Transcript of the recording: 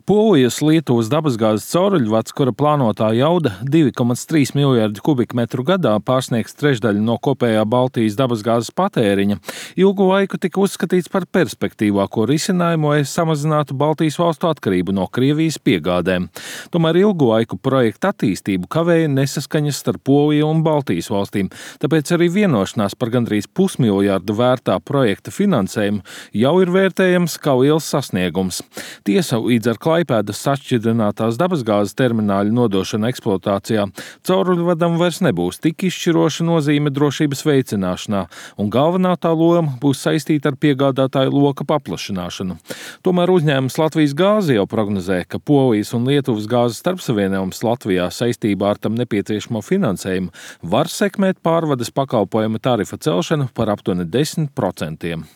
Polijas Lietuvas dabasgāzes cauruļvads, kura plānotā jauda 2,3 miljardi kubikmetru gadā pārsniegs trešdaļu no kopējā Baltijas dabasgāzes patēriņa, ilgu laiku tika uzskatīts par perspektīvāko risinājumu, lai samazinātu Baltijas valstu atkarību no Krievijas piegādēm. Tomēr ilgu laiku projekta attīstību kavēja nesaskaņas starp Poliju un Baltijas valstīm, tāpēc arī vienošanās par gandrīz pusmiljardu vērtā projekta finansējumu jau ir vērtējams kā liels sasniegums. Tiesa, līdz ar Klaipēdas sašķidrinātās dabasgāzes termināļa nodošana eksploatācijā cauruļvadam vairs nebūs tik izšķiroša nozīme drošības veicināšanā, un galvenā tā loma būs saistīta ar piegādātāju loka paplašināšanu. Tomēr uzņēmums Latvijas gāze jau prognozē, ka Polijas un Lietuvas gāzes starpsavienojums Latvijā saistībā ar tam nepieciešamo finansējumu var sekmēt pārvades pakalpojuma tarifa celšanu par aptuveni 10%.